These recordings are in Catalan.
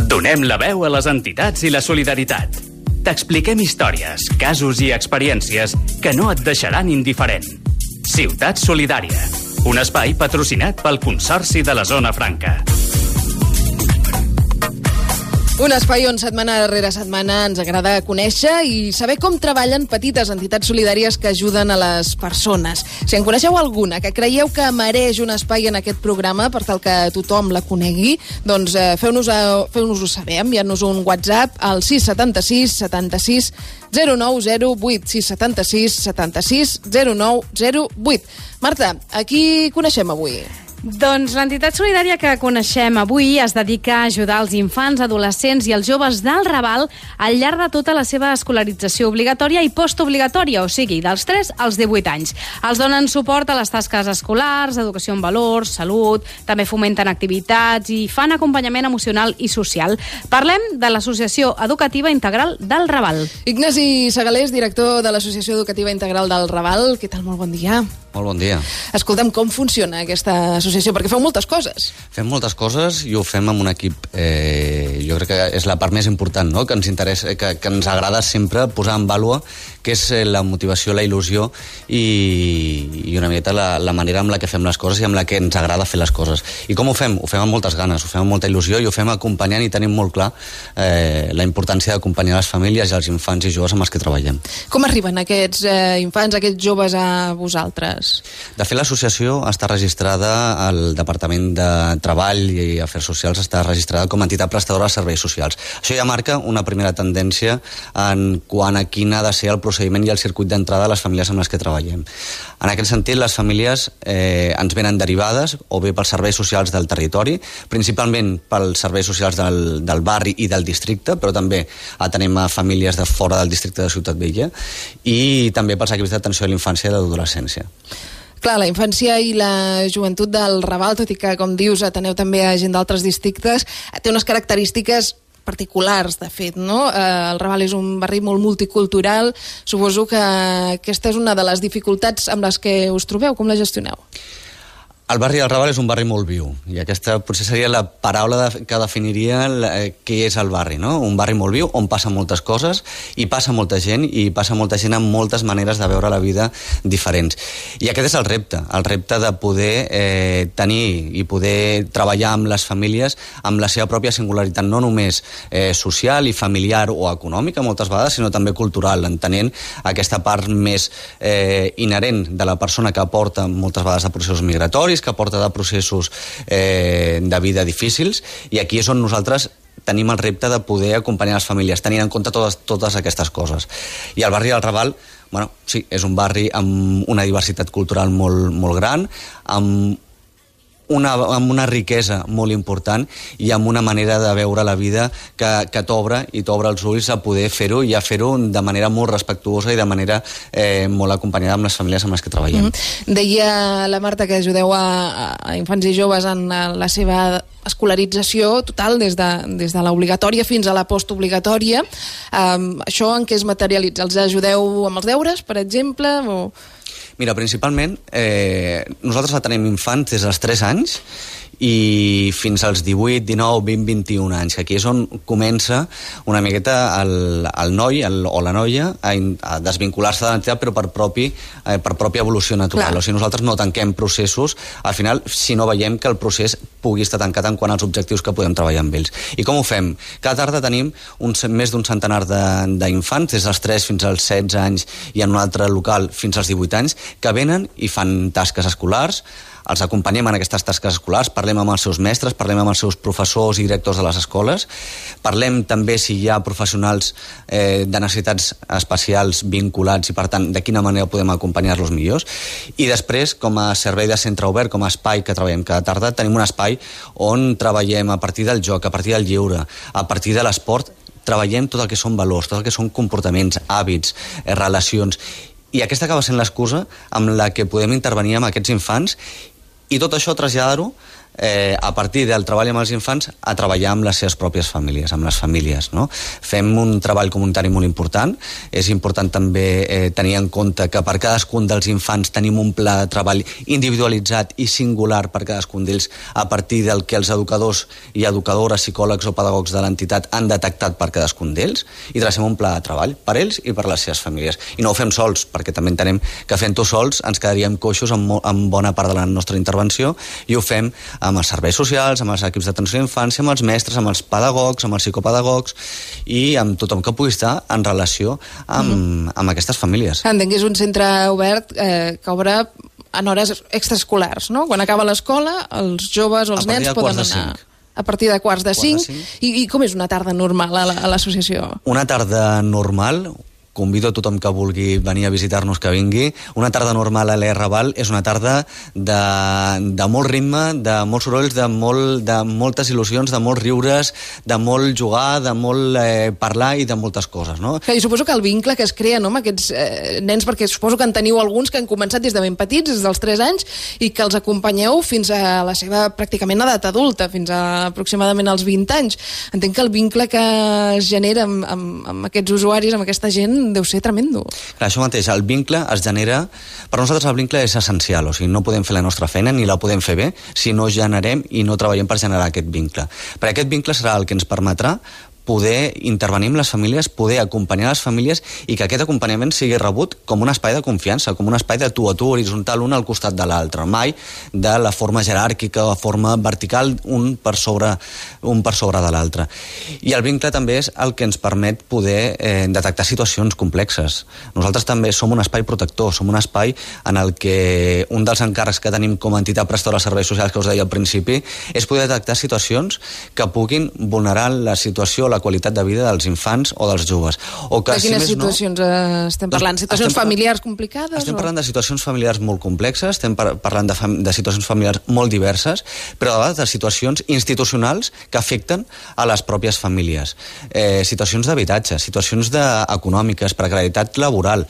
Donem la veu a les entitats i la solidaritat. T'expliquem històries, casos i experiències que no et deixaran indiferent. Ciutat Solidària, un espai patrocinat pel Consorci de la Zona Franca. Un espai on setmana rere setmana ens agrada conèixer i saber com treballen petites entitats solidàries que ajuden a les persones. Si en coneixeu alguna que creieu que mereix un espai en aquest programa per tal que tothom la conegui, doncs feu-nos-ho saber, enviant-nos un WhatsApp al 676 76 0908, 676 76 0908. Marta, a qui coneixem avui? Doncs l'entitat solidària que coneixem avui es dedica a ajudar els infants, adolescents i els joves del Raval al llarg de tota la seva escolarització obligatòria i postobligatòria, o sigui, dels 3 als 18 anys. Els donen suport a les tasques escolars, educació en valors, salut, també fomenten activitats i fan acompanyament emocional i social. Parlem de l'Associació Educativa Integral del Raval. Ignasi Segalés, director de l'Associació Educativa Integral del Raval. Què tal? Molt bon dia. Molt bon dia. Escolta'm, com funciona aquesta associació? Perquè feu moltes coses. Fem moltes coses i ho fem amb un equip. Jo crec que és la part més important, no? Que ens interessa, que ens agrada sempre posar en vàlua, que és la motivació, la il·lusió i una miqueta la manera amb la que fem les coses i amb la que ens agrada fer les coses. I com ho fem? Ho fem amb moltes ganes, ho fem amb molta il·lusió i ho fem acompanyant i tenim molt clar la importància d'acompanyar les famílies i els infants i joves amb els que treballem. Com arriben aquests infants, aquests joves a vosaltres? De fet, l'associació està registrada al Departament de Treball i Afers Socials, està registrada com a entitat prestadora de serveis socials. Això ja marca una primera tendència en quant a quin ha de ser el procediment i el circuit d'entrada de les famílies amb les que treballem. En aquest sentit, les famílies ens venen derivades o bé pels serveis socials del territori, principalment pels serveis socials del barri i del districte, però també atenem a famílies de fora del districte de Ciutat Vella i també pels equips d'atenció a la infància i a l'adolescència. Clar, la infància i la joventut del Raval, tot i que, com dius, ateneu també a gent d'altres districtes, té unes característiques particulars, de fet, no? El Raval és un barri molt multicultural. Suposo que aquesta és una de les dificultats amb les que us trobeu. Com la gestioneu? El barri del Raval és un barri molt viu i aquesta potser seria la paraula que definiria què és el barri, no? Un barri molt viu on passen moltes coses i passa molta gent amb moltes maneres de veure la vida diferents. I aquest és el repte de poder tenir i poder treballar amb les famílies amb la seva pròpia singularitat, no només social i familiar o econòmica moltes vegades, sinó també cultural, entenent aquesta part més inherent de la persona que aporta moltes vegades a processos migratoris, que porta de processos de vida difícils, i aquí és on nosaltres tenim el repte de poder acompanyar les famílies, tenint en compte totes aquestes coses. I el barri del Raval, bueno, sí, és un barri amb una diversitat cultural molt, molt gran, amb una riquesa molt important i amb una manera de veure la vida que t'obre els ulls a poder fer-ho i a fer-ho de manera molt respectuosa i de manera molt acompanyada amb les famílies amb les que treballem. Deia la Marta que ajudeu a infants i joves en la seva escolarització total, des de l'obligatòria fins a la postobligatòria. Això en què es materialitza? Els ajudeu amb els deures, per exemple? Mira, principalment, nosaltres atenem infants des dels 3 anys i fins als 18, 19, 20, 21 anys, que aquí és on comença una miqueta el noi o la noia a desvincular-se de l'entitat, però per pròpia evolució natural. O sigui, nosaltres no tanquem processos, al final, si no veiem que el procés pugui estar tancat en quant als objectius que podem treballar amb ells. I com ho fem? Cada tarda tenim més d'un centenar d'infants, des dels 3 fins als 16 anys i en un altre local fins als 18 anys, que venen i fan tasques escolars, els acompanyem en aquestes tasques escolars, parlem amb els seus mestres, parlem amb els seus professors i directors de les escoles, parlem també si hi ha professionals de necessitats especials vinculats i, per tant, de quina manera podem acompanyar-los millors. I després, com a servei de centre obert, com a espai que treballem cada tarda, tenim un espai on treballem a partir del joc, a partir del lleure, a partir de l'esport, treballem tot el que són valors, tot el que són comportaments, hàbits, relacions. I aquesta acaba sent l'excusa amb la que podem intervenir amb aquests infants i tot això traslladar-ho a partir del treball amb els infants, a treballar amb les seves pròpies famílies, amb les famílies, no? Fem un treball comunitari molt important. És important també tenir en compte que per cadascun dels infants tenim un pla de treball individualitzat i singular per cadascun d'ells, a partir del que els educadors i educadores, psicòlegs o pedagogs de l'entitat han detectat per cadascun d'ells, i tracem un pla de treball per ells i per les seves famílies. I no ho fem sols, perquè també entenem que fent-ho sols ens quedaríem coixos amb bona part de la nostra intervenció, i ho fem amb els serveis socials, amb els equips d'atenció a l'infància, amb els mestres, amb els pedagogs, amb els psicopedagogs i amb tothom que pugui estar en relació amb aquestes famílies. Entenc que és un centre obert que obre en hores extraescolars, no? Quan acaba l'escola, els joves o els nens poden anar a partir de quarts de 5. I com és una tarda normal a l'associació? Una tarda normal, convido a tothom que vulgui venir a visitar-nos que vingui. Una tarda normal a l'E Raval és una tarda de molt ritme, de molts sorolls, de moltes il·lusions, de molts riures, de molt jugar, de molt parlar i de moltes coses, no? I suposo que el vincle que es crea, no?, amb aquests nens, perquè suposo que en teniu alguns que han començat des de ben petits, des dels 3 anys, i que els acompanyeu fins a la seva pràcticament edat adulta, fins a aproximadament als 20 anys. Entenc que el vincle que es genera amb aquests usuaris, amb aquesta gent, deu ser tremendo. Clar, això mateix, el vincle es genera... Per nosaltres el vincle és essencial, o sigui, no podem fer la nostra feina ni la podem fer bé si no generem i no treballem per generar aquest vincle. Perquè aquest vincle serà el que ens permetrà poder intervenir amb les famílies, poder acompanyar les famílies i que aquest acompanyament sigui rebut com un espai de confiança, com un espai de tu a tu, horitzontal, un al costat de l'altre, mai de la forma jeràrquica o forma vertical, un per sobre de l'altre. I el vincle també és el que ens permet poder detectar situacions complexes. Nosaltres també som un espai protector, som un espai en el que un dels encàrrecs que tenim com a entitat prestadora de serveis socials que us deia al principi és poder detectar situacions que puguin vulnerar la situació, la qualitat de vida dels infants o dels joves. O que, de quines situacions estem parlant? Situacions familiars complicades? Estem parlant de situacions familiars molt complexes, estem parlant de situacions familiars molt diverses, però a vegades de situacions institucionals que afecten a les pròpies famílies. Situacions d'habitatge, situacions econòmiques, precarietat laboral.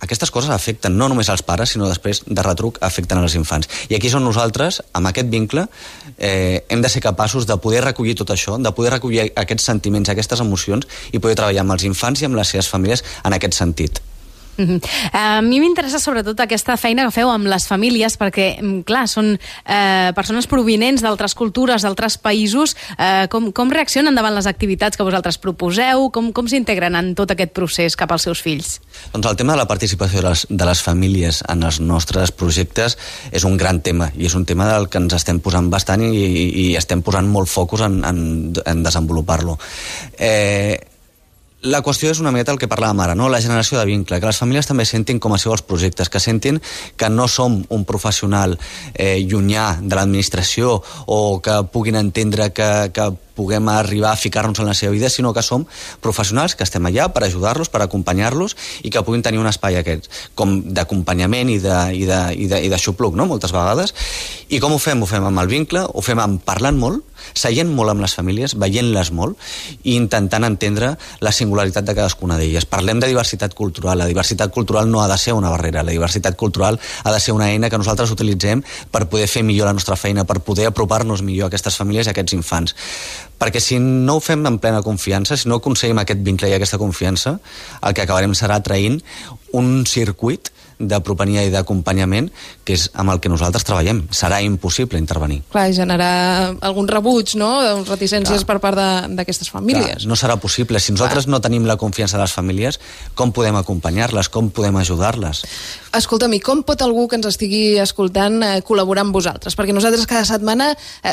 Aquestes coses afecten no només als pares, sinó després de retruc afecten als infants. I aquí és on nosaltres, amb aquest vincle, hem de ser capaços de poder recollir tot això, de poder recollir aquests sentiments, aquestes emocions i poder treballar amb els infants i amb les seves famílies en aquest sentit. A mi m'interessa sobretot aquesta feina que feu amb les famílies, perquè, clar, són persones provinents d'altres cultures, d'altres països. Com reaccionen davant les activitats que vosaltres proposeu? Com s'integren en tot aquest procés cap als seus fills? Doncs el tema de la participació de les famílies en els nostres projectes és un gran tema, i és un tema del que ens estem posant bastant i estem posant molt focus en desenvolupar-lo. La qüestió és una miqueta el que parlàvem ara, no? La generació de vincle, que les famílies també sentin com a seu els projectes, que sentin que no som un professional llunyà de l'administració o que puguin entendre que puguem arribar a ficar-nos en la seva vida, sinó que som professionals que estem allà per ajudar-los, per acompanyar-los i que puguin tenir un espai aquest, com d'acompanyament i d'aixopluc, no?, moltes vegades. I com ho fem? Ho fem amb el vincle, ho fem amb parlant molt, seient molt amb les famílies, veient-les molt i intentant entendre la singularitat de cadascuna d'elles. Parlem de diversitat cultural. La diversitat cultural no ha de ser una barrera. La diversitat cultural ha de ser una eina que nosaltres utilitzem per poder fer millor la nostra feina, per poder apropar-nos millor a aquestes famílies i a aquests infants. Perquè si no ho fem en plena confiança, si no aconseguim aquest vincle i aquesta confiança, el que acabarem serà traient un circuit d'apropania i d'acompanyament que és amb el que nosaltres treballem. Serà impossible intervenir. Clar, i generar algun rebuig, no?, reticències per part d'aquestes famílies. Clar, no serà possible. Si nosaltres no tenim la confiança de les famílies, com podem acompanyar-les? Com podem ajudar-les? Escolta'm, i com pot algú que ens estigui escoltant col·laborar amb vosaltres? Perquè nosaltres cada setmana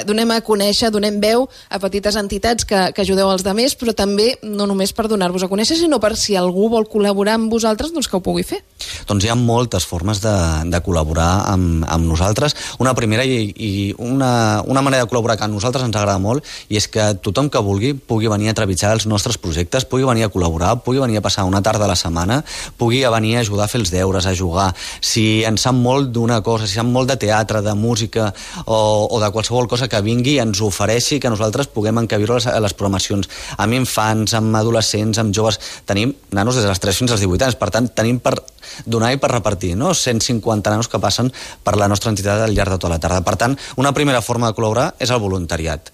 donem a conèixer, donem veu a petites entitats que ajudeu els altres, però també no només per donar-vos a conèixer, sinó per si algú vol col·laborar amb vosaltres, doncs que ho pugui fer. Doncs hi ha moltes formes de col·laborar amb nosaltres. Una primera i una manera de col·laborar que a nosaltres ens agrada molt i és que tothom que vulgui pugui venir a trepitjar els nostres projectes, pugui venir a col·laborar, pugui venir a passar una tarda a la setmana, pugui venir a ajudar a fer els deures, a jugar. Si en sap molt d'una cosa, si sap molt de teatre, de música o de qualsevol cosa que vingui i ens ofereixi que nosaltres puguem encabir-ho a les programacions. Amb infants, amb adolescents, amb joves. Tenim nanos des dels 3 fins als 18 anys, per tant, tenim per donar i per repartir repartir, no? 150 nanos que passen per la nostra entitat al llarg de tota la tarda. Per tant, una primera forma de col·laborar és el voluntariat.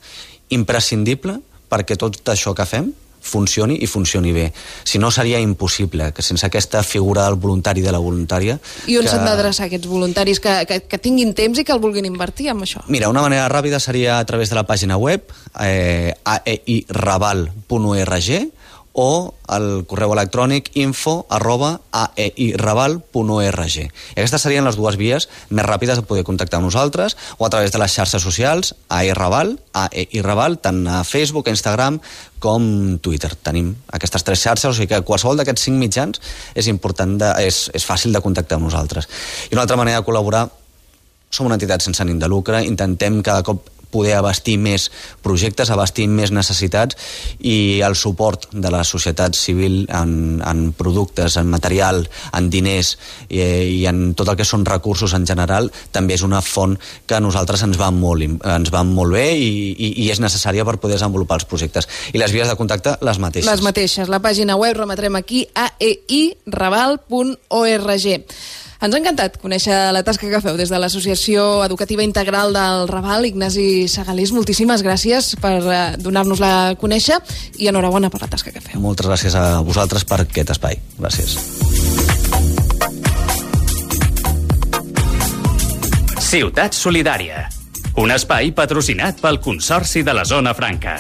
Imprescindible perquè tot això que fem funcioni i funcioni bé. Si no, seria impossible, que sense aquesta figura del voluntari i de la voluntària... I on s'han d'adreçar aquests voluntaris que tinguin temps i que el vulguin invertir en això? Mira, una manera ràpida seria a través de la pàgina web aeiraval.org o el correu electrònic info@aeiraval.org. Aquestes serien les dues vies més ràpides de poder contactar amb nosaltres, o a través de les xarxes socials, aeiraval, tant a Facebook, Instagram com Twitter. Tenim aquestes 3 xarxes, o sigui que qualsevol d'aquests 5 mitjans és fàcil de contactar amb nosaltres. I una altra manera de col·laborar, som una entitat sense ànim de lucre, intentem cada cop poder abastir més projectes, abastir més necessitats, i el suport de la societat civil en productes, en material, en diners i en tot el que són recursos en general també és una font que a nosaltres ens va molt bé i és necessària per poder desenvolupar els projectes. I les vies de contacte, les mateixes. Les mateixes. La pàgina web, remetrem aquí, aeiraval.org. Ens ha encantat conèixer la tasca que feu des de l'Associació Educativa Integral del Raval. Ignasi Segalís, moltíssimes gràcies per donar-nos-la a conèixer i enhorabona per la tasca que feu. Moltes gràcies a vosaltres per aquest espai. Gràcies. Ciutat Solidària, un espai patrocinat pel Consorci de la Zona Franca.